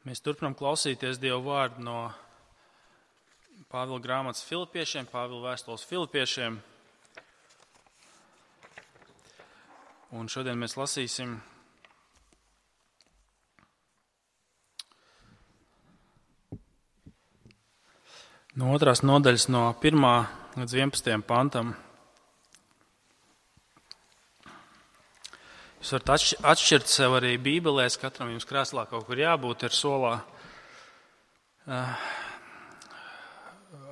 Mēs turpinām klausīties Dieva vārdu no Pāvila grāmatas Filipiešiem, Pāvila vēstules Filipiešiem. Un šodien mēs lasīsim no 2. nodaļas no 1. līdz 11. pantam. Jūs varat atšķirt sev arī bībelēs, katram jums krēslā kaut kur jābūt ir solā.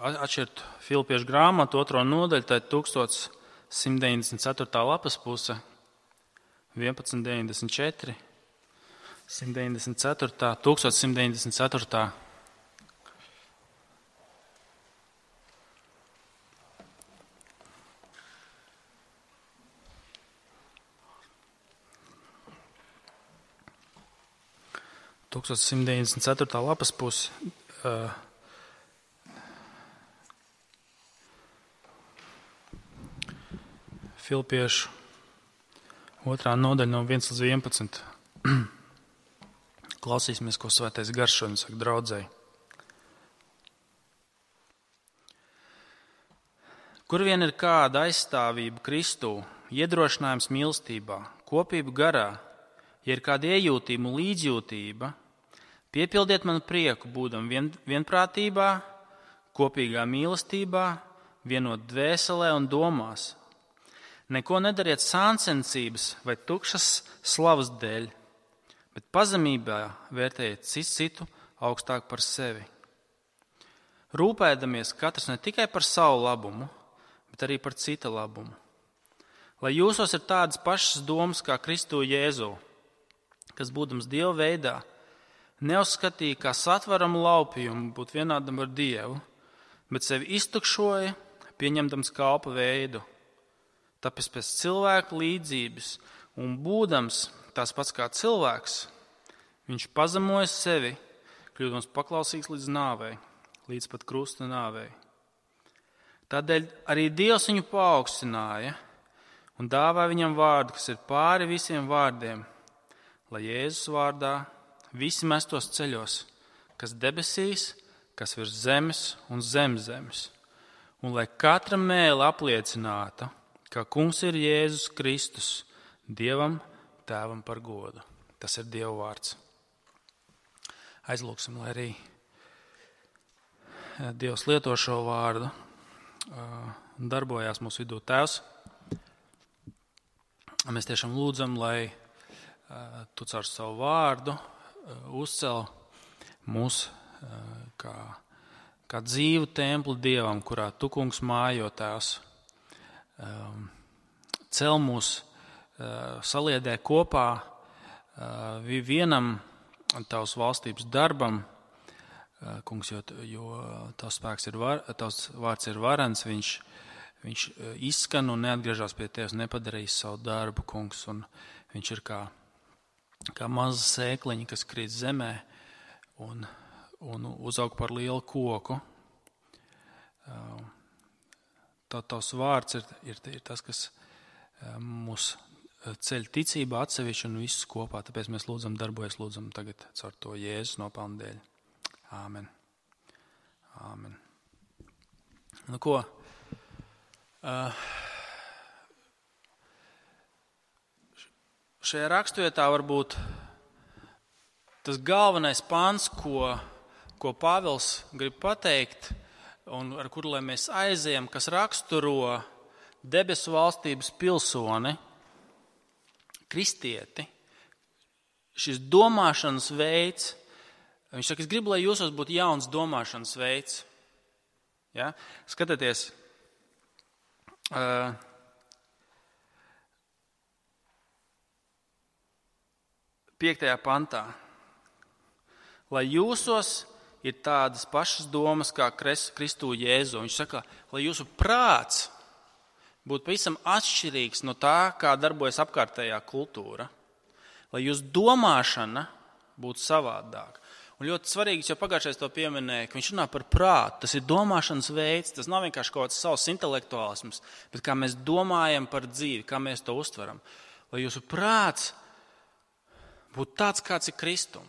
Atšķirt Filipiešu grāmatu 2. nodaļu, tā ir 1194. lapas puse, 1194, 194, 1194. Tūkstoš 194. lapas pusi. Filipiešu 2. nodaļa no 1 līdz 11. Klausīsimies, ko Svētais Gars šodien saka draudzei. Kur vien ir kāda aizstāvība Kristū, iedrošinājums mīlestībā, kopība garā, ja ir kāda iejūtība un līdzjūtība, piepildiet manu prieku, būdam vienprātībā, kopīgā mīlestībā, vienot dvēselē un domās. Neko nedariet sāncensības vai tukšas slavas dēļ, bet pazemībā vērtējiet citu augstāk par sevi. Rūpēdamies katrs ne tikai par savu labumu, bet arī par cita labumu. Lai jūsos ir tādas pašas domas kā Kristu Jēzu, kas būdams Dieva veidā, neuzskatīja kā satveramu laupījumu būt vienādam ar Dievu, bet sevi iztukšoja, pieņemdams kalpa veidu. Tāpēc pēc cilvēka līdzības un būdams tās pats kā cilvēks, viņš pazemoja sevi, kļūdams paklausīgs līdz nāvei, līdz pat krusta nāvei. Tādēļ arī Dievs viņu paaugstināja un dāvāja viņam vārdu, kas ir pāri visiem vārdiem, lai Jēzus vārdā visi mestos ceļos, kas debesīs, kas virs zemes un zem zemes, un lai katra mēle apliecināta, ka kungs ir Jēzus Kristus, Dievam Tēvam par godu. Tas ir Dieva vārds. Aizlūksim, lai arī Dievs lieto šo vārdu, darbojās mūsu vidū Tēvs. Mēs tiešām lūdzam, lai Tu caur savu vārdu uzcel mūs kā dzīvu templi Dievam, kurā Tu, kungs, mājo, Tēvs. Cel mūs, saliedē kopā vienam Tavas valstības darbam, kungs, jo Tavs vārds ir varens, viņš izskan un neatgriežas pie Tevis, nepadarījis savu darbu, kungs, un viņš ir kā maza sēkliņa, kas krīt zemē un uzaug par lielu koku. Tavs vārds ir tas, kas mūs ceļ ticībā atsevišķi un visus kopā. Tāpēc mēs lūdzam tagad caur to Jēzus nopelnu dēļ. Āmen. Āmen. Nu ko? Šajā raksturvietā varbūt tas galvenais pants, ko Pāvils grib pateikt, un ar kuru lai mēs aizejam, kas raksturo debesu valstības pilsoni, kristieti, šis domāšanas veids, viņš saka, es gribu, lai jūsos būtu jauns domāšanas veids. Ja? Skatieties, 5. pantā. Lai jūsos ir tādas pašas domas kā Kristu Jēzu. Viņš saka, lai jūsu prāts būtu pavisam atšķirīgs no tā, kā darbojas apkārtējā kultūra. Lai jūsu domāšana būtu savādāka. Un ļoti svarīgs, jo pagājušais to pieminēja, ka viņš runā par prātu. Tas ir domāšanas veids, tas nav vienkārši kaut kāds savs intelektuālisms, bet kā mēs domājam par dzīvi, kā mēs to uztveram. Lai jūsu prāts būtu tāds, kāds ir Kristum.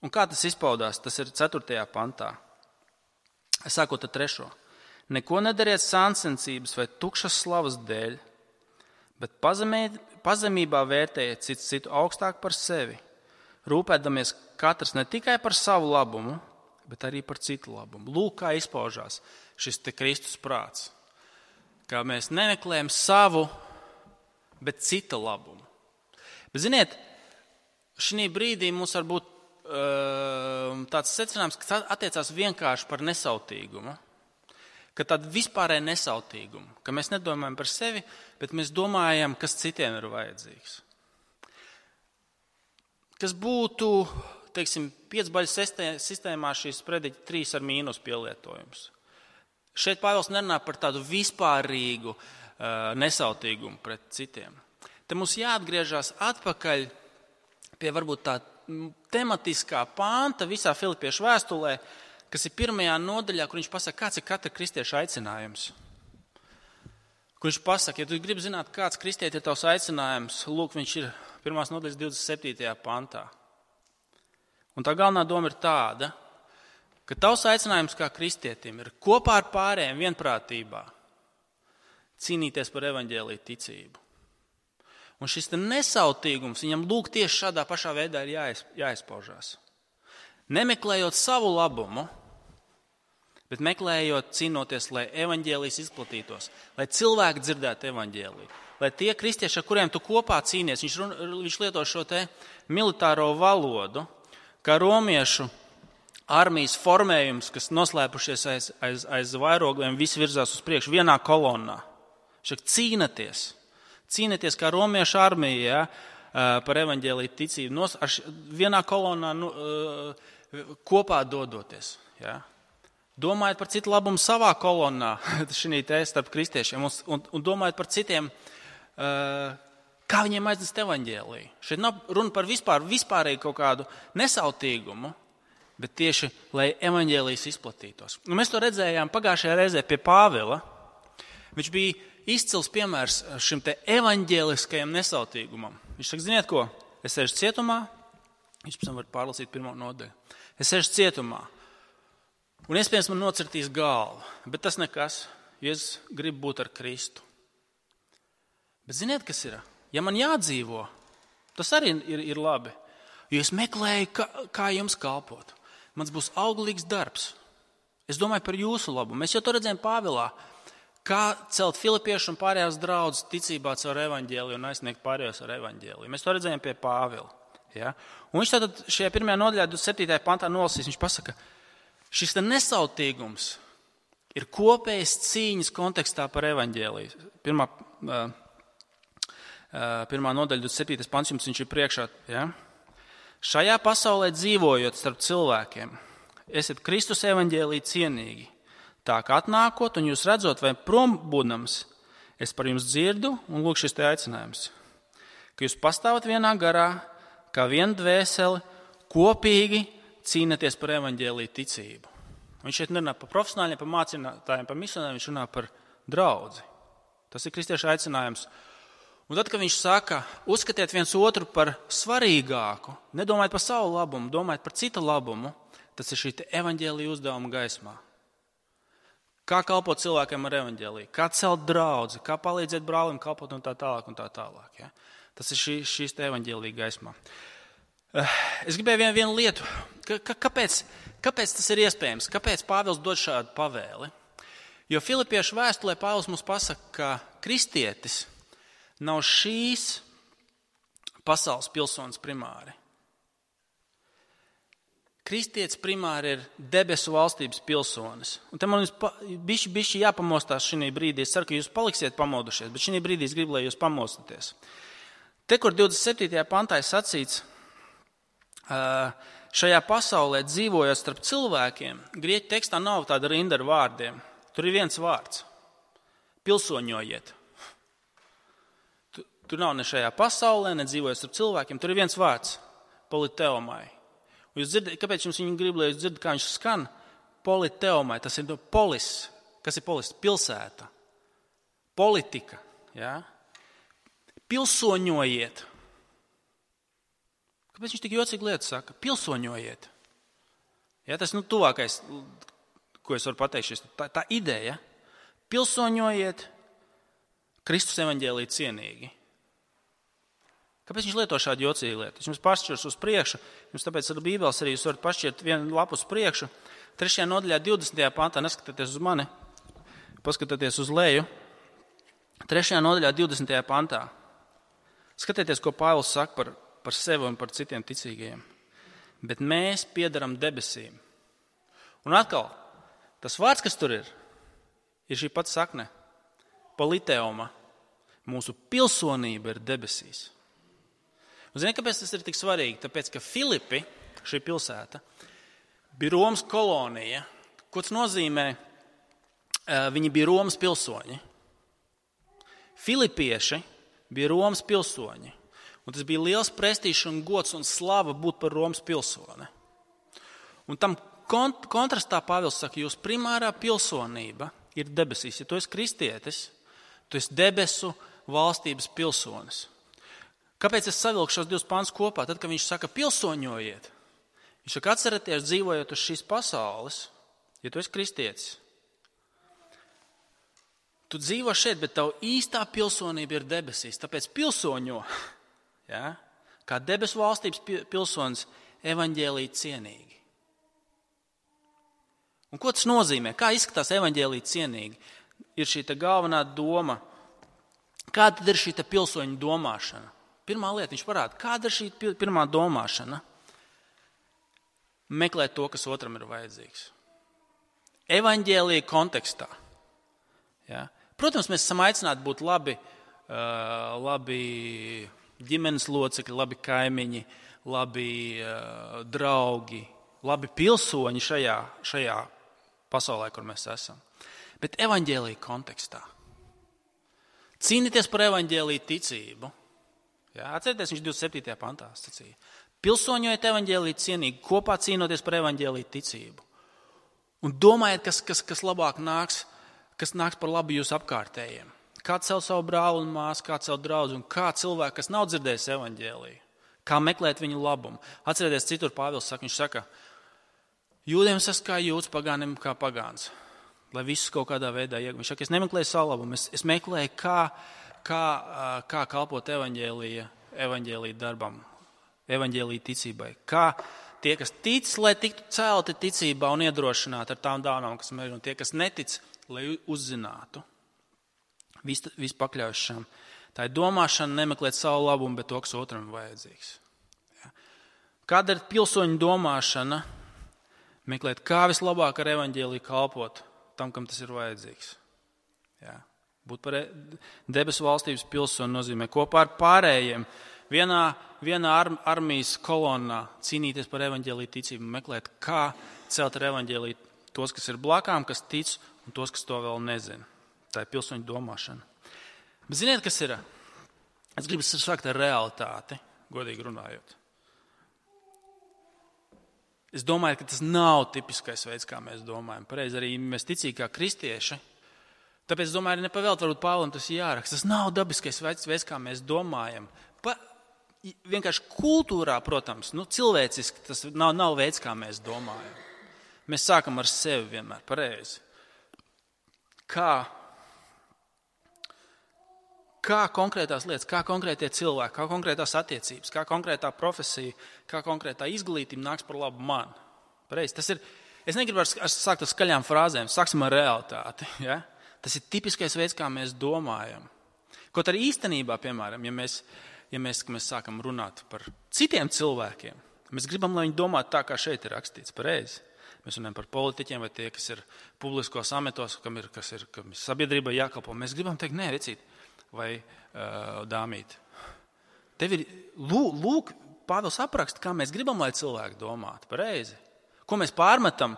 Un kā tas izpaudās? Tas ir 4. pantā. Sākot ar 3. Neko nedariet sāncensības vai tukšas slavas dēļ, bet pazemībā vērtējiet citu augstāk par sevi, rūpēdamies katrs ne tikai par savu labumu, bet arī par citu labumu. Lūk, kā izpaužās šis te Kristus prāts. Kā mēs nemeklējam savu, bet cita labumu. Bet, ziniet, šī brīdī mums var būt tāds secinājums, ka attiecās vienkārši par nesautīgumu. Ka tāda vispārēja nesautīguma, ka mēs nedomājam par sevi, bet mēs domājam, kas citiem ir vajadzīgs. Kas būtu, teiksim, 5-baļu sistēmā šīs prediķi 3 ar mīnus pielietojums. Šeit Pāvils nerunā par tādu vispārīgu nesautīgumu pret citiem. Te mums jāatgriežas atpakaļ pie varbūt tā tematiskā panta visā Filipiešu vēstulē, kas ir 1. nodaļā, kur viņš pasaka, kāds ir katra kristieša aicinājums. Kur viņš pasaka, ja tu gribi zināt, kāds kristieti ir tavs aicinājums, lūk, viņš ir 1. nodaļas 27. pantā. Un tā galvenā doma ir tāda, ka tavs aicinājums kā kristietim ir kopā ar pārējiem vienprātībā cīnīties par evaņģēliju ticību. Un šis nesautīgums viņam lūk tieši šādā pašā veidā ir jāizpaužās. Nemeklējot savu labumu, bet meklējot, cīnoties, lai evaņģēlijs izplatītos, lai cilvēki dzirdētu evaņģēliju, lai tie kristieši, ar kuriem tu kopā cīnies, viņš lieto šo te militāro valodu, kā romiešu armijas formējums, kas noslēpušies aiz vairogiem, visi virzās uz priekšu vienā kolonnā. Cīnieties kā romiešu armija, par evaņģēliju ticību, vienā kolonnā kopā dodoties. Ja? Domājot par citu labumu savā kolonnā, šī te starp kristiešiem, un domājot par citiem, kā viņiem aiznest evaņģēliju. Šeit nav runa par vispārēju kaut kādu nesautīgumu, bet tieši, lai evaņģēlijs izplatītos. Un mēs to redzējām pagājušajā reizē pie Pāvila. Viņš bija izcils piemērs šim te evaņģēliskajam nesautīgumam. Viņš saka, ziniet ko, es sēžu cietumā, viņš pēc tam var pārlasīt 1. nodaļu. Es sēžu cietumā, un iespējams man nocirtīs galvu, bet tas nekas, jo es gribu būt ar Kristu. Bet ziniet, kas ir? Ja man jādzīvo, tas arī ir labi, jo es meklēju, kā jums kalpot. Mans būs auglīgs darbs. Es domāju par jūsu labu. Mēs jau to redzējām Pāvilā. Kā celt filipiešu un pārējās draudzes ticībā caur evaņģēliju un aizsniegt pārējos ar evaņģēliju. Mēs to redzējām pie Pāvila. Ja? Un viņš tātad šajā 1. nodaļā 27. pantā nolasīs, viņš pasaka, šis nesautīgums ir kopējas cīņas kontekstā par evaņģēliju. 1. nodaļa 27. pants jums viņš ir priekšā. Ja? Šajā pasaulē dzīvojot starp cilvēkiem, esat Kristus evaņģēliju cienīgi. Tā kā atnākot un jūs redzot vai prom būdams, es par jums dzirdu un lūk šis te aicinājums, ka jūs pastāvat vienā garā, kā viena dvēseli, kopīgi cīnaties par evaņģēliju ticību. Viņš šeit nerunā par profesionāļiem, par mācītājiem, par misionāriem, viņš runā par draudzi. Tas ir kristiešu aicinājums. Un tad, kad viņš saka, uzskatiet viens otru par svarīgāku, nedomājiet par savu labumu, domājiet par citu labumu, tas ir šī evaņģēlija uzdevuma gaismā. Kā kalpot cilvēkiem ar evaņģēliju, kā celt draudzi, kā palīdzēt brālim kalpot un tā tālāk un tā tālāk. Ja? Tas ir šīs evaņģēlija gaismā. Es gribēju vienu lietu. Kāpēc tas ir iespējams? Kāpēc Pāvils dod šādu pavēli? Jo Filipiešu vēstulē Pāvils mums pasaka, ka kristietis nav šīs pasaules pilsonis primāri. Kristietis primāri ir debesu valstības pilsonis. Un te man bišķi jāpamostās šī brīdī. Es ceru, ka jūs paliksiet pamodušies, bet šī brīdī es gribu, lai jūs pamostaties. Te, kur 27. pantā ir sacīts, šajā pasaulē dzīvojot starp cilvēkiem, grieķu tekstā nav tāda rinda ar vārdiem. Tur ir viens vārds – pilsoņojiet. Tur nav ne šajā pasaulē, ne dzīvojot starp cilvēkiem. Tur ir viens vārds – politeomai. Jūs dzirdat, kāpēc jums viņi grib, lai jūs dzirdat, kā viņš skan? Politeomai, tas ir polis. Kas ir polis? Pilsēta. Politika. Ja? Pilsoņojiet. Kāpēc viņš tik jocīgi lietu saka? Pilsoņojiet. Ja, tas tuvākais, ko es varu pateikt, tā ideja. Pilsoņojiet Kristus evaņģēlī cienīgi. Kāpēc viņš lieto šādu jocīgu lietu? Es jums pašķirs uz priekšu, jums tāpēc ar Bībeles arī jūs varat pašķirt vienu lapu uz priekšu. 3. nodaļā 20. pantā, neskatieties uz mani, paskatieties uz leju. 3. nodaļā 20. pantā. Skatieties, ko Pāvils saka par sevi un par citiem ticīgajiem. Bet mēs piedaram debesīm. Un atkal, tas vārds, kas tur ir šī pats sakne. Politeoma. Mūsu pilsonība ir debesīs. Un zini, kāpēc tas ir tik svarīgi? Tāpēc, ka Filipi, šī pilsēta, bija Romas kolonija. Ko tas nozīmē? Viņi bija Romas pilsoņi. Filipieši bija Romas pilsoņi. Un tas bija liels prestižs un gods un slava būt par Romas pilsoni. Un tam kontrastā Pāvils saka, jūsu primārā pilsonība ir debesīs. Ja tu esi kristietis, tu esi debesu valstības pilsonis. Kāpēc es savilku šos divus pantus kopā? Tad, kad viņš saka pilsoņojiet, viņš saka atcerieties dzīvojot uz šīs pasaules, ja tu esi kristietis. Tu dzīvo šeit, bet tavu īstā pilsonība ir debesīs. Tāpēc pilsoņo, ja, kā debesu valstības pilsonis evaņģēlī cienīgi. Un ko tas nozīmē? Kā izskatās evaņģēlī cienīgi? Ir šī galvenā doma. Kāda tad ir šī pilsoņu domāšana? Pirmā lieta, viņš parāda, kāda ir šī pirmā domāšana? Meklēt to, kas otram ir vajadzīgs. Evaņģēlī kontekstā. Ja? Protams, mēs esam aicināti būt labi ģimenes locekļi, labi kaimiņi, labi draugi, labi pilsoņi šajā pasaulē, kur mēs esam. Bet evaņģēlī kontekstā. Cīnīties par evaņģēlī ticību. Ja? Atcerieties, viņš 27. pantā sacīja. Pilsoņojiet evaņģēlī cienīgi, kopā cīnoties par evaņģēlī ticību. Un domājiet, kas labāk nāks, kas nāks par labu jūsu apkārtējiem. Kā celt savu brāli un māsu, kā celt draudzi un kā cilvēku, kas nav dzirdējis evaņģēliju. Kā meklēt viņu labumu. Atcerieties, citur Pāvils saka, viņš saka, jūdiem es esmu kā jūds, pagānim kā pagāns. Lai visus kaut kādā veidā iegūtu. Viņš saka, es nemeklēju savu labumu, es meklēju, kā kalpot evaņģēlija darbam, evaņģēlija ticībai. Kā tie, kas tic, lai tiktu celti ticībā un iedrošināti ar tām dāvanām, kas ir, un tie, kas netic, lai uzzinātu. Viss pakļaušana. Tā ir domāšana nemeklēt savu labumu, bet to, kas otram ir vajadzīgs. Ja. Kāda ir pilsoņu domāšana? Meklēt, kā vislabāk ar evaņģēliju kalpot tam, kam tas ir vajadzīgs. Ja. Būt par debesu valstības pilsoni nozīmē kopā ar pārējiem vienā armijas kolonnā cīnīties par evaņģēliju ticību, meklēt, kā celt ar evaņģēliju tos, kas ir blakām, kas tic, un tos, kas to vēl nezina. Tā ir pilsoņu domāšana. Bet ziniet, kas ir? Es gribu sākt ar realitāti, godīgi runājot. Es domāju, ka tas nav tipiskais veids, kā mēs domājam. Pareizi arī mēs ticīgi kā kristieši. Tāpēc es domāju, arī nepavēlt, varbūt Pāvilam tas jāraksta. Tas nav dabiskais veids, kā mēs domājam. Vienkārši kultūrā, protams, cilvēciski tas nav veids, kā mēs domājam. Mēs sākam ar sevi vienmēr, pareizi. Kā konkrētās lietas, kā konkrētie cilvēki, kā konkrētās attiecības, kā konkrētā profesija, kā konkrētā izglītība nāks par labu man. Pareizi. Tas ir, es negribu sākt ar skaļām frāzēm, sāksim ar realitāti. Ja? Tas ir tipiskais veids, kā mēs domājam. Kaut arī īstenībā, piemēram, ja mēs sākam runāt par citiem cilvēkiem, mēs gribam, lai viņi domātu tā, kā šeit ir rakstīts, pareizi. Mēs runājam par politiķiem vai tie, kas ir publiskos ametos, kam ir sabiedrībai jākalpo. Mēs gribam teikt, nē, vecīt, vai dāmīt. Tev ir, lūk, Pāvils apraksta, kā mēs gribam, lai cilvēki domātu, pareizi. Ko mēs pārmetam,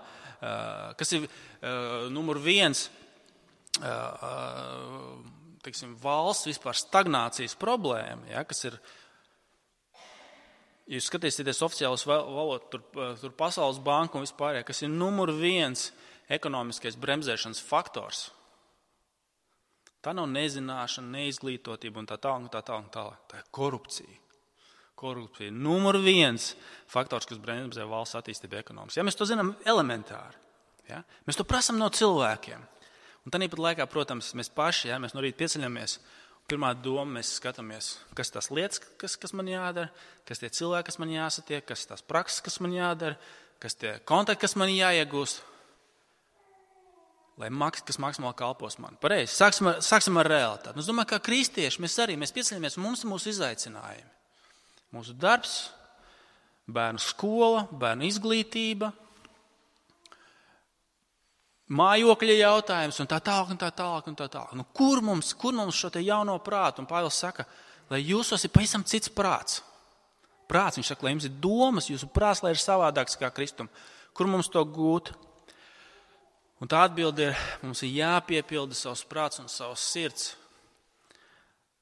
kas ir numur 1, teiksim, valsts vispār stagnācijas problēma, ja, kas ir, ja jūs skatīsieties oficiālas valodu, tur Pasaules banka un vispārējā, kas ir numur 1 ekonomiskais bremzēšanas faktors. Tā nav nezināšana, neizglītotība un tā tālāk. Tā ir korupcija. Korupcija ir numur 1 faktors, kas bremzē valsts attīstību ekonomiski. Ja, mēs to zinām elementāri. Ja? Mēs to prasam no cilvēkiem. Un tāpat laikā, protams, mēs paši, ja, mēs no rīta pieceļamies. Pirmā doma, mēs skatāmies, kas tās lietas, kas man jādara, kas tie cilvēki, kas man jāsatiek, kas tās prakses, kas man jādara, kas tie kontakti, kas man jāiegūst, kas maksimāli kalpos man. Pareizi, sāksim ar realitāti. Es domāju, kā kristieši, mēs pieceļamies, mums ir mūsu izaicinājumi. Mūsu darbs, bērnu skola, bērnu izglītība, mājokļa jautājums un tā tālāk. Nu, kur mums šo te jauno prātu? Un Pāvils saka, lai jūsos ir pavisam cits prāts. Viņš saka, lai jums ir domas, jūsu prāts, lai ir savādāks kā Kristum. Kur mums to gūt? Un tā atbilde ir, mums ir jāpiepilda savs prāts un savs sirds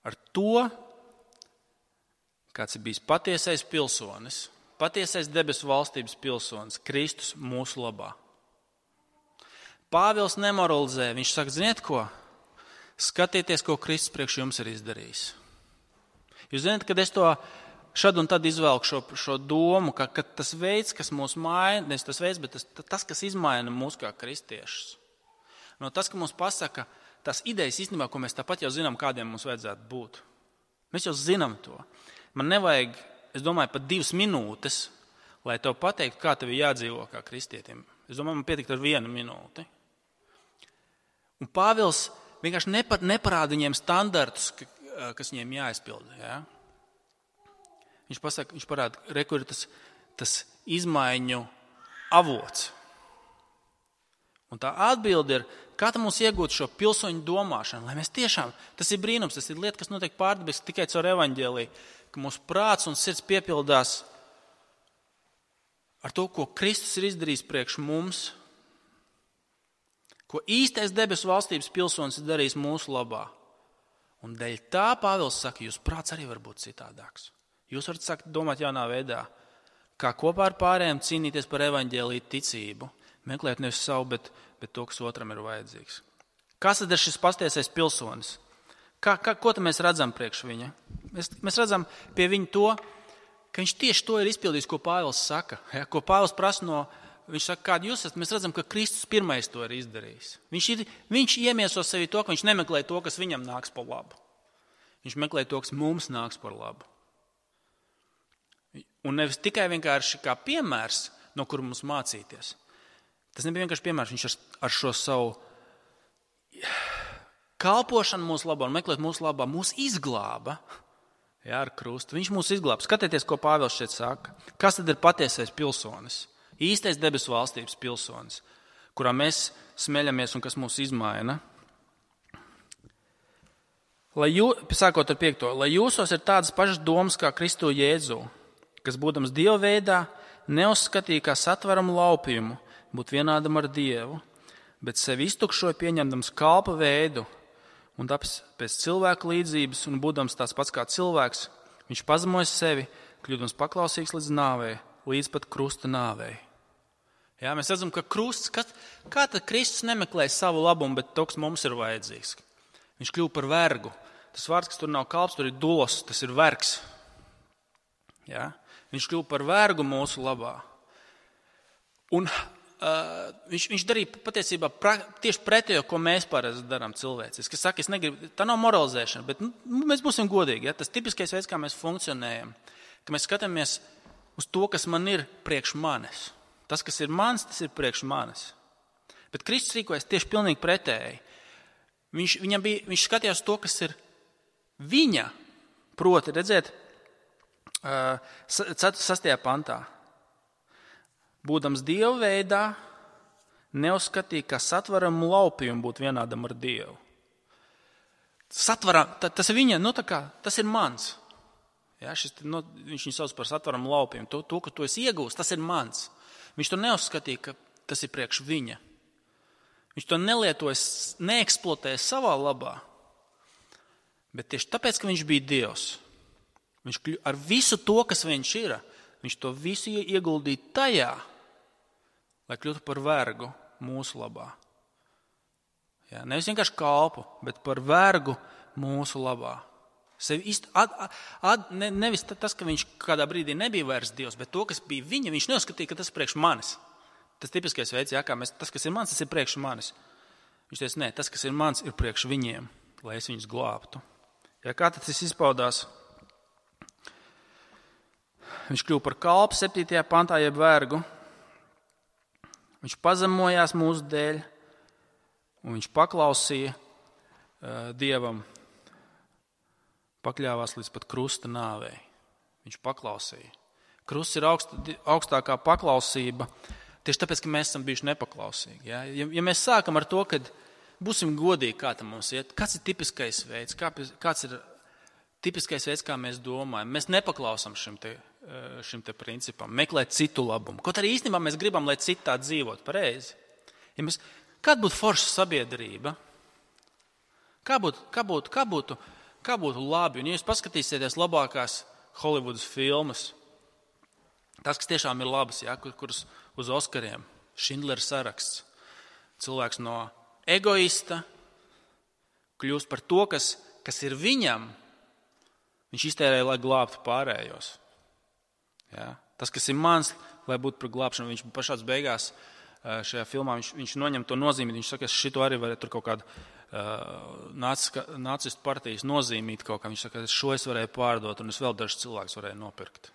ar to, kāds ir bijis patiesais pilsonis, patiesais debesu valstības pilsonis, Kristus mūsu labā. Pāvils nemoralizē, viņš saka, ziniet ko? Skatieties, ko Kristus priekš jums ir izdarījis. Jūs zināt, kad es to šad un tad izvelku šo domu, ka tas veids, kas mūs maina, nevis tas veids, bet tas, kas izmaina mūs kā kristiešus. No tas, ka mums pasaka, tās idejas īstenībā, ko mēs tāpat jau zinām, kādiem mums vajadzētu būt. Mēs jau zinām to. Man nevajag, es domāju, pat 2 minūtes, lai tev pateiktu, kā tev ir jādzīvo kā kristietim. Es domāju, man pietikt ar 1 minūti. Un Pāvils vienkārši neparāda viņiem standartus, kas viņiem jāizpilda. Ja? Viņš parāda, kur ir tas izmaiņu avots. Un tā atbilde ir, kā mums iegūt šo pilsoņu domāšanu, lai mēs tiešām, tas ir brīnums, tas ir lieta, kas notiek pārdabiski tikai caur evaņģēliju, ka mūsu prāts un sirds piepildās ar to, ko Kristus ir izdarījis priekš mums, ko īstais debesu valstības pilsonis ir darījis mūsu labā. Un dēļ tā Pāvils saka, jūs prāts arī var būt citādāks. Jūs varat sākt domāt jaunā veidā, kā kopā ar pārējiem cīnīties par evaņģēliju ticību, meklēt nevis savu, bet to, kas otram ir vajadzīgs. Kas tad ir šis patiesais pilsonis? Ko tad mēs redzam priekš viņa? Mēs redzam pie viņa to, ka viņš tieši to ir izpildījis, ko Pāvils saka. Ja? Ko Pāvils prasa viņš saka, kādi jūs esat, mēs redzam, ka Kristus pirmais to ir izdarījis. Viņš iemieso sevi to, ka viņš nemeklē to, kas viņam nāks par labu. Viņš meklē to, kas mums nāks par labu. Un nevis tikai vienkārši kā piemērs, no kura mums mācīties. Tas nebija vienkārši piemērs, viņš ar šo savu kalpošanu mūsu labā un meklēt mūsu labā, mūs izglāba, jā, ar krustu. Viņš mūs izglāba. Skatieties, ko Pāvils šeit saka. Kas tad ir patiesais pilsonis? Īstais debesu valstības pilsonis, kurā mēs smeļamies un kas mūs izmaina. Sākot ar 5. Lai jūsos ir tādas pašas domas kā Kristu Jēzu, kas būdams Dieva veidā, neuzskatīja kā satveramu laupījumu būt vienādam ar Dievu, bet sevi iztukšoja pieņemdams kalpa veidu un tāpēc pēc cilvēka līdzības un būdams tāds pats kā cilvēks, viņš pazemoja sevi, kļūdams paklausīgs līdz nāvei, līdz pat krusta nāvei. Jā, mēs redzam, ka krusts, kā tad Kristus nemeklē savu labumu, bet to, kas mums ir vajadzīgs. Viņš kļuva par vergu. Tas vārds, kas tur nav kalps, tur ir dulos, tas ir vergs. Jā? Viņš kļuva par vergu mūsu labā. Un viņš darīja patiesībā tieši pretējo, ko mēs parasti darām cilvēciski. Es saku, tā nav moralizēšana, bet mēs būsim godīgi. Ja? Tas tipiskais veids, kā mēs funkcionējam, ka mēs skatāmies uz to, kas man ir priekš manis. Tas, kas ir mans, tas ir priekš manis. Bet Kristus rīkojas tieši pilnīgi pretēji. Viņš skatījās to, kas ir viņa, proti, redzēt, 6. pantā. Būdams Dieva veidā, neuzskatīja, ka satveramu laupījumu būt vienādam ar Dievu. Tas ir viņa, tas ir mans. Ja, viņš viņu sauc par satveramu laupījumu. To, ka tu esi iegūst, tas ir mans. Viņš to neuzskatīja, ka tas ir priekš viņa. Viņš to nelietoja, neeksploatēja savā labā. Bet tieši tāpēc, ka viņš bija Dievs, viņš ar visu to, kas viņš ir, viņš to visu ieguldīja tajā, lai kļūtu par vergu mūsu labā. Ja, nevis vienkārši kalpu, bet par vergu mūsu labā. Nevis tas, ka viņš kādā brīdī nebija vairs Dievs, bet to, kas bija viņa, viņš neuzskatīja, ka tas ir priekš manis. Tas tipiskais veids, kā tas, kas ir mans, tas ir priekš manis. Viņš teica, nē, tas, kas ir mans, ir priekš viņiem, lai es viņus glābtu. Kā tad tas izpaudās? Viņš kļuva par kalpu 7. pantā, jeb vergu. Viņš pazemojās mūsu dēļ, un viņš paklausīja Dievam, pakļāvās līdz pat krusta nāvei. Viņš paklausīja. Krusts ir augstākā paklausība, tieši tāpēc, ka mēs esam bijuši nepaklausīgi. Ja mēs sākam ar to, ka būsim godīgi, kā tam mums iet, kāds ir tipiskais veids, kāds ir tipiskais veids, kā mēs domājam. Mēs nepaklausam šim te principam, meklēt citu labumu. Kaut arī īstenībā mēs gribam, lai citi tā dzīvot pareizi. Kāda būtu forša sabiedrība? Kā būtu labi? Un ja jūs paskatīsieties labākās Holivudas filmas, tas, kas tiešām ir labas, kuras uz Oskariem, Šindlera saraksts, cilvēks no egoista kļūst par to, kas ir viņam, viņš iztērēja, lai glābtu pārējos. Tas, kas ir mans, lai būtu par glābšanu, viņš pašās beigās šajā filmā, viņš noņem to nozīmīt, viņš saka, es šito arī varētu tur kaut kādu nacistu partijas nozīmīt kaut kā, viņš saka, šo es varēju pārdot un es vēl dažus cilvēkus varēju nopirkt.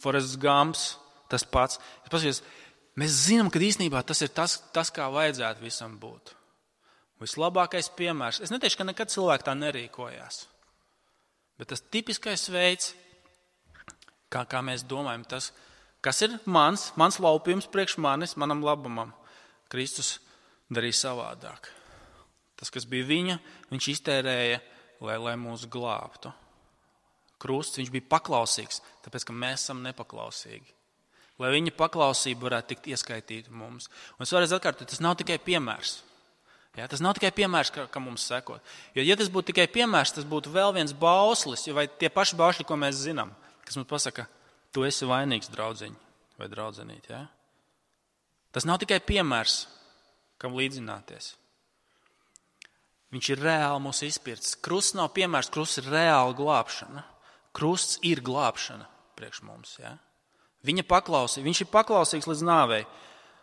Forrests Gumps, tas pats. Mēs zinām, ka īstenībā tas ir tas, kā vajadzētu visam būt. Vislabākais piemērs. Es neteikšu, ka nekad cilvēki tā nerīkojās. Bet tas tipiskais veids, kā mēs domājam, tas, kas ir mans laupījums priekš manis, manam labumam, Kristus darīja savādāk. Tas, kas bija viņa, viņš iztērēja, lai mūs glābtu. Krusts, viņš bija paklausīgs, tāpēc, ka mēs esam nepaklausīgi. Lai viņa paklausība varētu tikt ieskaitīta mums. Un es vēlreiz atkārtoju, tas nav tikai piemērs. Tas nav tikai piemērs, ka mums sekot. Jo, ja tas būtu tikai piemērs, tas būtu vēl viens bauslis, vai tie paši bausļi, ko mēs zinām, kas mums pasaka, tu esi vainīgs, draudziņ vai draudzenīt. Tas nav tikai piemērs, kam līdzināties. Viņš ir reāli mūs izpircis. Krusts nav piemērs, krusts ir reāla glābšana. Krusts ir glābšana priekš mums. Viņa paklausīja, viņš ir paklausīgs līdz nāvei.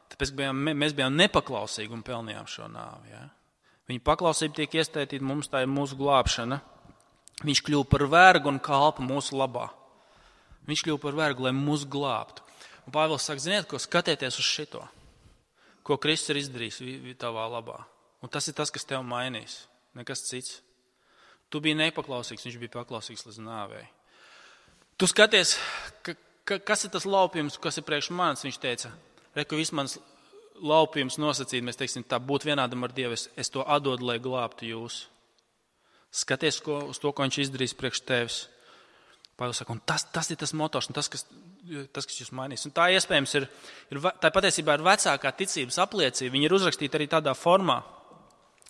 Tāpēc mēs bijām nepaklausīgi un pelnījām šo nāvi. Viņa paklausība tiek iestaitīta mums, tā ir mūsu glābšana. Viņš kļuva par vergu un kalpu mūsu labā. Viņš kļuva par vergu, lai mūs glābtu. Un Pāvils saka, ziniet, ko skatieties uz šito. Ko Kristus ir izdarījis tavā labā. Un tas ir tas, kas tev mainīs. Nekas cits. Tu biji nepaklausīgs, viņš bija paklausīgs līdz nāvei. Tu skaties, kas ir tas laupījums, kas ir priekš manis, viņš teica, ka viss mans laupījums nosacīt, mēs teiksim, tā būt vienādam ar Dievu, es to atdodu, lai glābtu jūs. Skaties uz to, ko viņš izdarīs priekš tevis. Pāvils saka, un tas ir tas motors, un tas, kas jūs mainīs. Un tā iespējams tā patiesībā ir vecākā ticības apliecība. Viņa ir uzrakstīta arī tādā formā,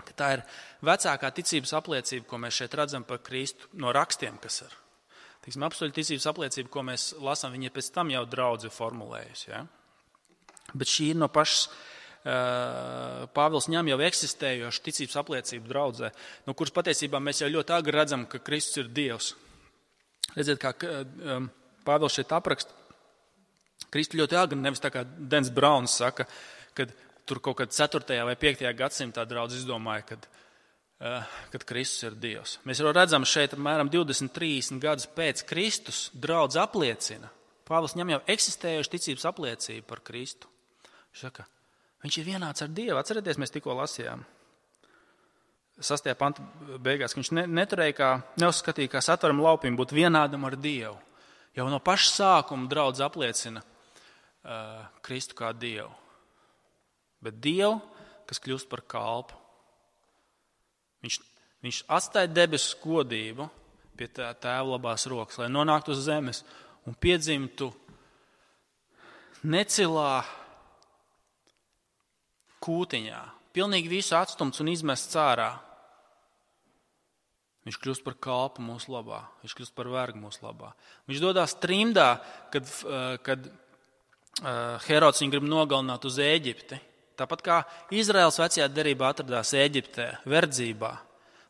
ka tā ir vecākā ticības apliecība, ko mēs šeit redzam par Kristu no rakstiem, kas ir. Apstuļu ticības apliecība, ko mēs lasām, viņa pēc tam jau draudze formulējusi. Bet šī ir no pašas Pāvils ņem jau eksistējošu ticības apliecību draudzē, no kuras patiesībā mēs jau ļoti agri redzam, ka Kristus ir Dievs. Redziet, kā Pāvils šeit apraksta, Kristu ļoti agri, nevis tā kā Dens Brauns saka, kad tur kaut kad 4. vai 5. gadsimtā draudze izdomāja, kad Kristus ir Dievs. Mēs jau redzam šeit apmēram 20-30 gadus pēc Kristus draudze apliecina. Pāvils ņem jau eksistējošu ticības apliecību par Kristu. Viņš saka, viņš ir vienāds ar Dievu. Atcerieties, mēs tikko lasījām 6. panta beigās, ka viņš neuzskatīja, kā satveram laupījumu būt vienādam ar Dievu. Jau no paša sākuma draudze apliecina Kristu kā Dievu. Bet Dievu, kas kļūst par kalpu. Viņš atstāja debesu godību pie tēva labās rokas, lai nonāktu uz zemes un piedzimtu necilā kūtiņā. Pilnīgi visu atstumts un izmests ārā. Viņš kļūst par kalpu mūsu labā. Viņš kļūst par vergu mūsu labā. Viņš dodās trimdā, kad Herods viņu grib nogalināt uz Ēģipti. Tāpat kā Izraels vecajā derībā atradās Ēģiptē, verdzībā,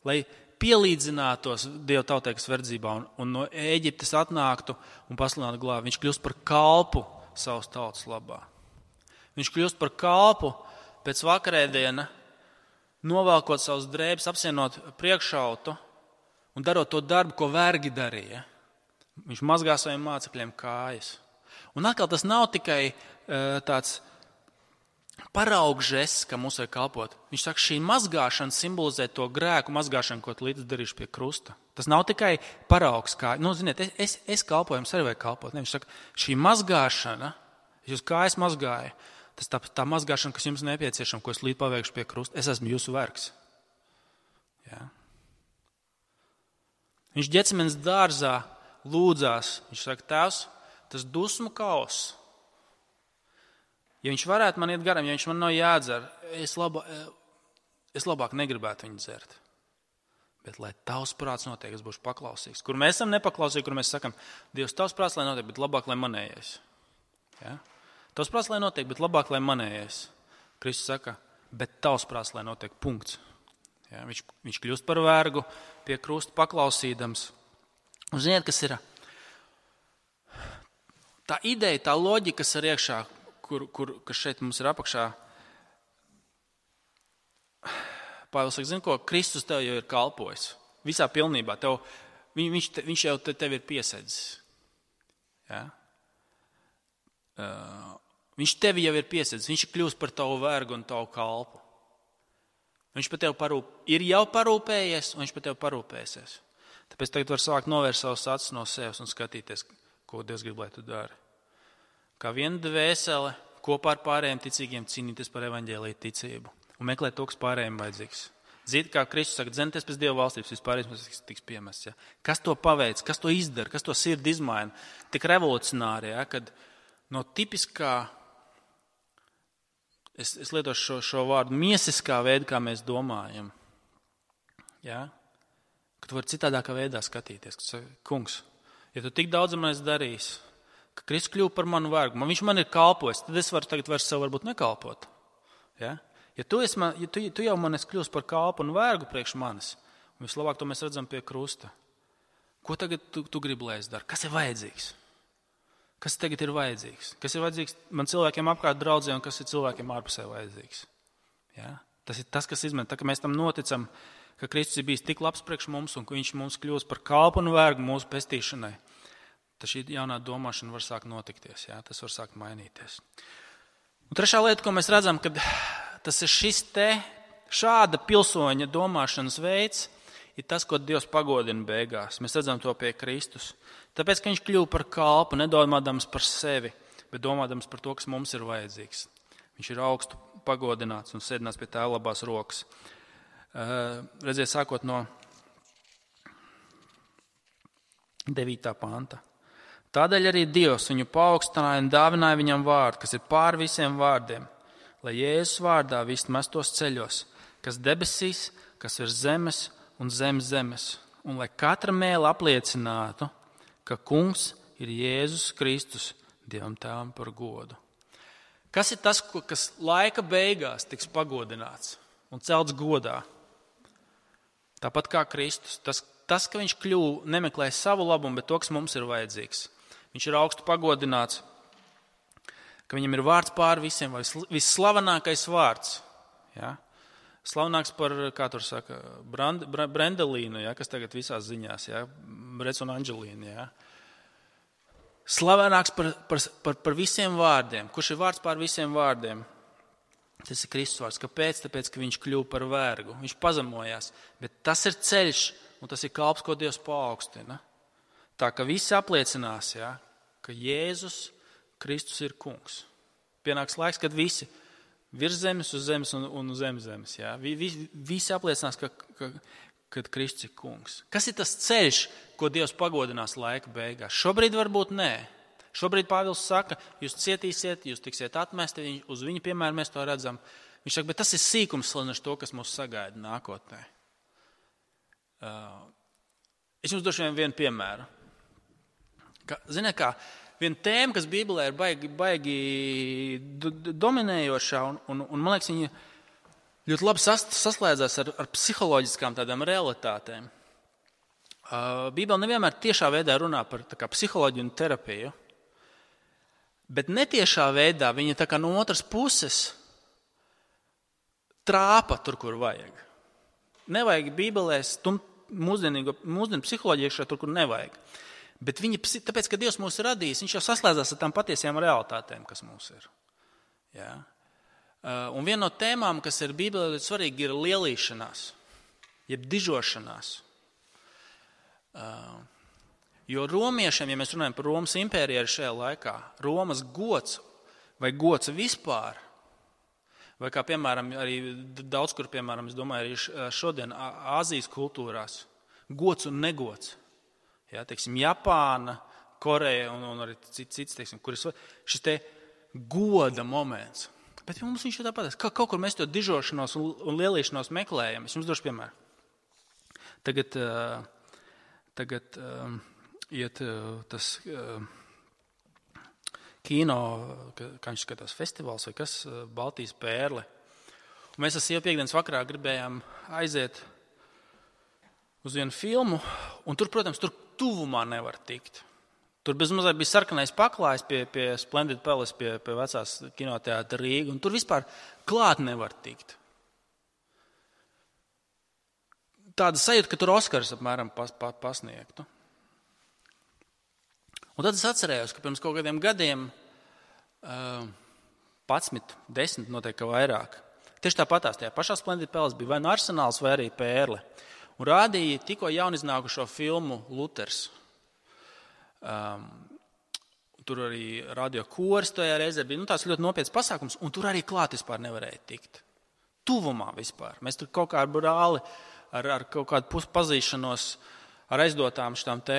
lai pielīdzinātos Dieva tautai, kas verdzībā un no Ēģiptes atnāktu un pasludinātu glābi. Viņš kļūst par kalpu savas tautas labā. Viņš kļūst par kalpu pēc vakarēdiena, novelkot savus drēbes, apsienot priekšautu un darot to darbu, ko vergi darīja. Viņš mazgā saviem mācekļiem kājas. Un atkal tas nav tikai tāds paraugžests, ka mums vajag kalpot. Viņš saka, šī mazgāšana simbolizē to grēku mazgāšanu, ko līdz darījuši pie krusta. Tas nav tikai paraugs kā, ziniet, es kalpoju, jums arī vajag kalpot. Ne, viņš saka, šī mazgāšana, jūs kājas mazgāja, tas tā mazgāšana, kas jums nepieciešama, ko es līdz paveikšu pie krusta, es esmu jūsu vergs. Jā. Viņš Ģecemenes dārzā lūdzās, viņš saka, Tēvs, tas dusmu kauss, ja viņš varētu man iet garām, ja viņš man nav jādzer, es labāk negribētu viņu dzert. Bet, lai tavs prāts notiek, es būšu paklausīgs. Kur mēs esam nepaklausīgi, kur mēs sakam, Dievs, tavs prāts, lai notiek, bet labāk, lai manējais. Ja? Tavs prāts, lai notiek, bet labāk, lai manējais. Kristus saka, bet tavs prāts, lai notiek, punkts. Ja? Viņš kļūst par vergu, pie krusta paklausīdams. Un ziniet, kas ir? Tā ideja, tā loģika, kas ir iekšā, kas šeit mums ir apakšā. Pāvils saka, zini ko, Kristus tev jau ir kalpojis. Visā pilnībā. Viņš jau tev ir piesedzis. Ja? Viņš tevi jau ir piesedzis. Viņš ir kļūst par tavu vergu un tavu kalpu. Viņš par tevi ir jau parūpējies, un viņš par tevi parūpēsies. Tāpēc tagad var sākt novērst savus acis no sevis un skatīties, ko Dievs grib, lai tu dari. Kā viena dvēsele kopā ar pārējiem ticīgiem cīnīties par evaņģēliju ticību un meklēt to, kas pārējiem vajadzīgs. Zīt, kā Kristus saka, dzenieties pēc Dieva valstības, vispārējais tiks piemests. Ja? Kas to paveic, kas to izdara, kas to sirdi izmaina? Tik revolucionāri, ja? Kad no tipiskā, es lietošu šo vārdu, miesiskā veida, kā mēs domājam, ja? Ka tu vari citādākā veidā skatīties. Ka tu saki, kungs, ja tu tik daudz man esi darījis, ka Kristus kļuva par manu vergu, viņš man ir kalpojis, tad es varu tagad vairs sev varbūt nekalpot. Ja, ja tu jau man esi kļūst par kalpu un vergu priekš manis, un vislabāk to mēs redzam pie krusta. Ko tagad tu gribi, lai es daru? Kas ir vajadzīgs? Kas tagad ir vajadzīgs? Kas ir vajadzīgs man cilvēkiem apkārt draudzē un kas ir cilvēkiem ārpusē vajadzīgs? Ja? Tas ir tas, kas izmaina. Tā, ka mēs tam noticam, ka Kristus ir bijis tik labs priekš mums un ka viņš mums kļūst par kalpu un vergu mūsu pestīšanai. Tad šī jaunā domāšana var sākt notikties, jā? Tas var sākt mainīties. Un trešā lieta, ko mēs redzam, kad tas ir šāda pilsoņa domāšanas veids, ir tas, ko Dievs pagodina beigās. Mēs redzam to pie Kristus. Tāpēc, ka viņš kļuva par kalpu, nedomādams par sevi, bet domādams par to, kas mums ir vajadzīgs. Viņš ir augstu pagodināts un sēdināts pie Tēva labās rokas. Redziet, sākot no 9. panta. Tādēļ arī Dievs viņu paaugstināja un dāvināja viņam vārdu, kas ir pār visiem vārdiem, lai Jēzus vārdā viss mestos ceļos, kas debesīs, kas virs zemes un zem zemes, un lai katra mēle apliecinātu, ka Kungs ir Jēzus Kristus, Dievam Tēvam par godu. Kas ir tas, kas laika beigās tiks pagodināts un celts godā? Tāpat kā Kristus, tas, ka viņš kļuva, nemeklē savu labumu, bet to, kas mums ir vajadzīgs. Viņš ir augstu pagodināts, ka viņam ir vārds pār visiem, vai visslavenākais vārds. Ja? Slavenāks par, kā tur saka, Brendelīnu, ja? Kas tagad visās ziņās, ja? Brec un Anģelīna. Ja? Slavenāks par visiem vārdiem. Kurš ir vārds pār visiem vārdiem? Tas ir Kristus vārds. Kāpēc? Tāpēc, ka viņš kļuva par vergu. Viņš pazemojās. Bet tas ir ceļš, un tas ir kalps, ko Dievs paaugstina. Tā, ka visi apliecinās, ja, ka Jēzus Kristus ir kungs. Pienāks laiks, kad visi virs zemes, uz zemes un uz zemes. Ja. Visi apliecinās, ka Kristus ir kungs. Kas ir tas ceļš, ko Dievs pagodinās laika beigās? Šobrīd varbūt nē. Šobrīd Pāvils saka, jūs cietīsiet, jūs tiksiet atmesti, uz viņu piemēru mēs to redzam. Viņš saka, bet tas ir sīkums salīdzinot to, kas mūs sagaida nākotnē. Es jums došu vienu piemēru. Ziniet kā, viena tēma, kas Bībelē ir baigi dominējošā, un man liekas, viņa ļoti labi saslēdzās ar psiholoģiskām tādām realitātēm. Bībele nevienmēr tiešā veidā runā par psiholoģiju un terapiju, bet netiešā veidā viņa tā kā no otras puses trāpa tur, kur vajag. Nevajag Bībelē stumt mūsdienu psiholoģiju iekšā tur, kur nevajag. Bet tāpēc, ka Dievs mūs ir radījis, viņš jau saslēdzās ar tām patiesajām realitātēm, kas mums ir. Ja? Un viena no tēmām, kas ir Bībelē ļoti svarīga, ir lielīšanās, jeb dižošanās. Jo romiešiem, ja mēs runājam par Romas impēriju šajā laikā, Romas gods vai gods vispār, vai kā piemēram arī daudz kur, piemēram, es domāju, arī šodien Āzijas kultūrās, gods un negods. Ja, teiksim, Japāna, Koreja un arī cits, teiksim, kur ir šis te goda moments. Bet mums viņš ir tāpat, ka kaut kur mēs to dižošanos un lielīšanos meklējam. Es jums došu piemēru. Tagad iet tas kino, kā viņš skatās, festivāls vai kas, Baltijas pērle. Un mēs ar sievu piekdienas vakarā gribējām aiziet uz vienu filmu, un tur, protams, tur tuvumā nevar tikt. Tur bezmazliet bija sarkanais paklājs pie Splendid Palace, pie vecās kinoteātra Rīga, un tur vispār klāt nevar tikt. Tāda sajūta, ka tur Oskars apmēram pasniegtu. Un tad es atcerējos, ka pirms kaut kādiem gadiem 11, 10 noteikti vairāk. Tieši tāpatās tajā pašā Splendid Palace bija vai nu Arsenāls vai arī Pērle. Un rādīja tikko jauniznākušo filmu Luters. Tur arī radio koris tajā reizē bija tās ļoti nopietns pasākums, un tur arī klāt vispār nevarēja tikt. Tuvumā vispār. Mēs tur kaut kā ar brāli, ar kaut kādu puspazīšanos, ar aizdotām šitām te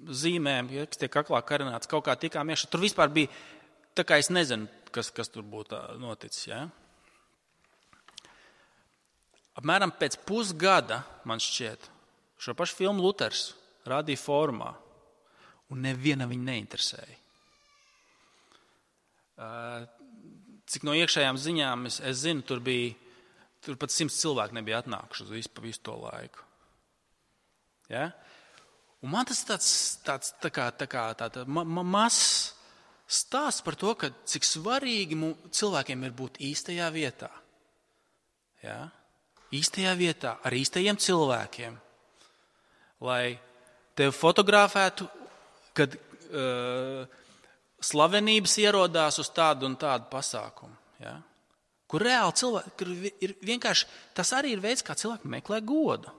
zīmēm, kas tiek aklā karināts, kaut kā tikām iekšā. Tur vispār bija, tā kā es nezinu, kas tur būtu noticis, ja? Apmēram pēc pusgada, man šķiet, šo pašu filmu Luters rādīja formā, un neviena viņa neinteresēja. Cik no iekšējām ziņām es zinu, tur pat 100 cilvēki nebija atnākuši uz visu to laiku. Ja? Un man tas tāds mazs stāsts par to, ka cik svarīgi cilvēkiem ir būt īstajā vietā. Ja? Īstajā vietā, ar īstajiem cilvēkiem, lai tevi fotografētu, kad slavenības ierodās uz tādu un tādu pasākumu. Ja? Kur reāli cilvēki, kur ir vienkārši, tas arī ir veids, kā cilvēki meklē godu.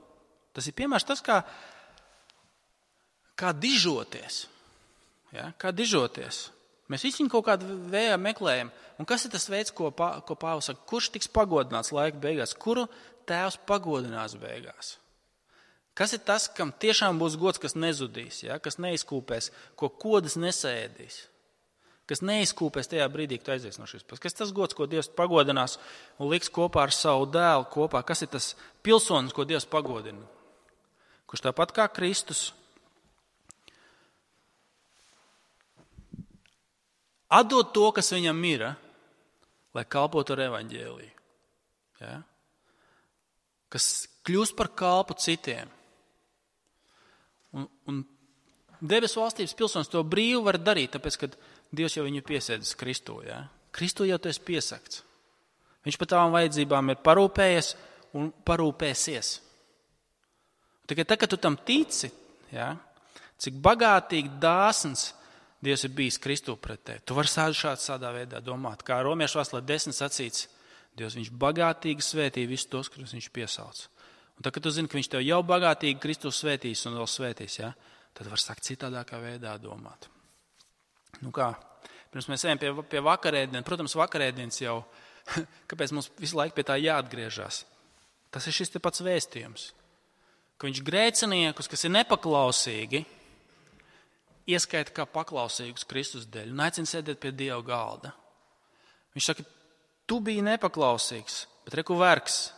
Tas ir piemērs tas, kā dižoties. Ja? Kā dižoties. Mēs visi viņu kaut kādu veidā meklējam. Un kas ir tas veids, ko Pāvils saka? Kurš tiks pagodināts laika beigās? Kuru Tēvs pagodinās beigās? Kas ir tas, kam tiešām būs gods, kas nezudīs, ja? Kas neizkūpēs, ko kodas nesēdīs? Kas neizkūpēs tajā brīdī, kad aizies no šīs pasaules? Kas ir tas gods, ko Dievs pagodinās un liks kopā ar savu dēlu kopā? Kas ir tas pilsonis, ko Dievs pagodina? Kurš tāpat kā Kristus atdod to, kas viņam ir, lai kalpotu ar evaņģēliju. Ja? Kas kļūst par kalpu citiem. Un debesu valstības pilsonis to brīvi var darīt, tāpēc, ka Dievs jau viņu piesēdis Kristū. Ja? Kristū jau tu esi piesakts. Viņš par tavām vajadzībām ir parūpējies un parūpēsies. Tikai tā, kad tu tam tici, ja? Cik bagātīgi dāsns Dievs ir bijis Kristū pret tevi. Tu vari šādā veidā domāt. Kā Romiešu vēstulē 10 sacīts, Dievs viņš bagātīgi svētī visus tos, kurus viņš piesauc. Un tad, kad tu zini, ka viņš tev jau bagātīgi Kristū svētīs un vēl svētīs, ja? Tad var sākt citādākā veidā domāt. Nu kā, pirms mēs ejam pie vakarēdienas, protams, vakarēdienas jau, kāpēc mums visu laiku pie tā jāatgriežas? Tas ir šis te pats vēstījums, ka viņš grēciniekus, kas ir nepaklausīgi, ieskaita kā paklausīgus Kristus dēļ un aicina sēdēt pie Dieva galda. Viņš saka, tu biji nepaklausīgs, bet reku vergs,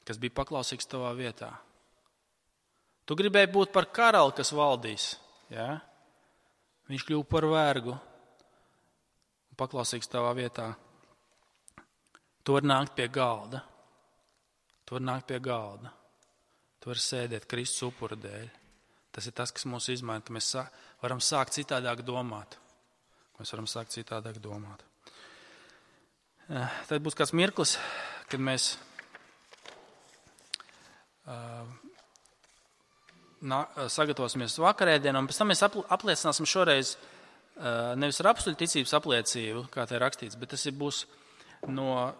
kas bija paklausīgs tavā vietā. Tu gribēji būt par karali, kas valdīs. Ja? Viņš kļuva par vergu un paklausīgs tavā vietā. Tu vari nākt pie galda. Tu vari nākt pie galda. Tu vari sēdēt Kristus upura dēļ. Tas ir tas, kas mūs izmaina, ka mēs varam sākt citādāk domāt. Mēs varam sākt citādāk domāt. Tad būs kāds mirklis, kad mēs sagatavosimies vakarēdienam, un pēc tam mēs apliecināsim šoreiz nevis ar apstuļu ticības apliecību, kā te ir rakstīts, bet tas būs no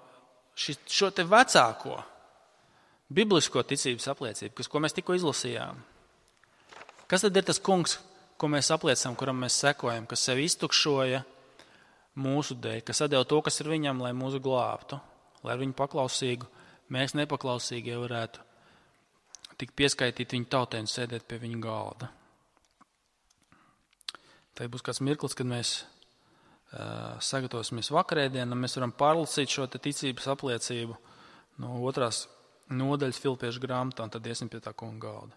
šo te vecāko biblisko ticības apliecību, ko mēs tikko izlasījām. Kas tad ir tas kungs, ko mēs apliecinām, kuram mēs sekojam, kas sevi iztukšoja mūsu dēļ, kas atdeva to, kas ir viņam, lai mūsu glābtu, lai ar viņu paklausīgu, mēs nepaklausīgie varētu tik pieskaitīt viņu tautai un sēdēt pie viņa galda. Tad būs kāds mirklis, kad mēs sagatavosimies vakarēdienam, mēs varam pārlasīt šo ticības apliecību no 2. nodaļas Filipiešu grāmatā, un tad iesim pie tā kunga galda.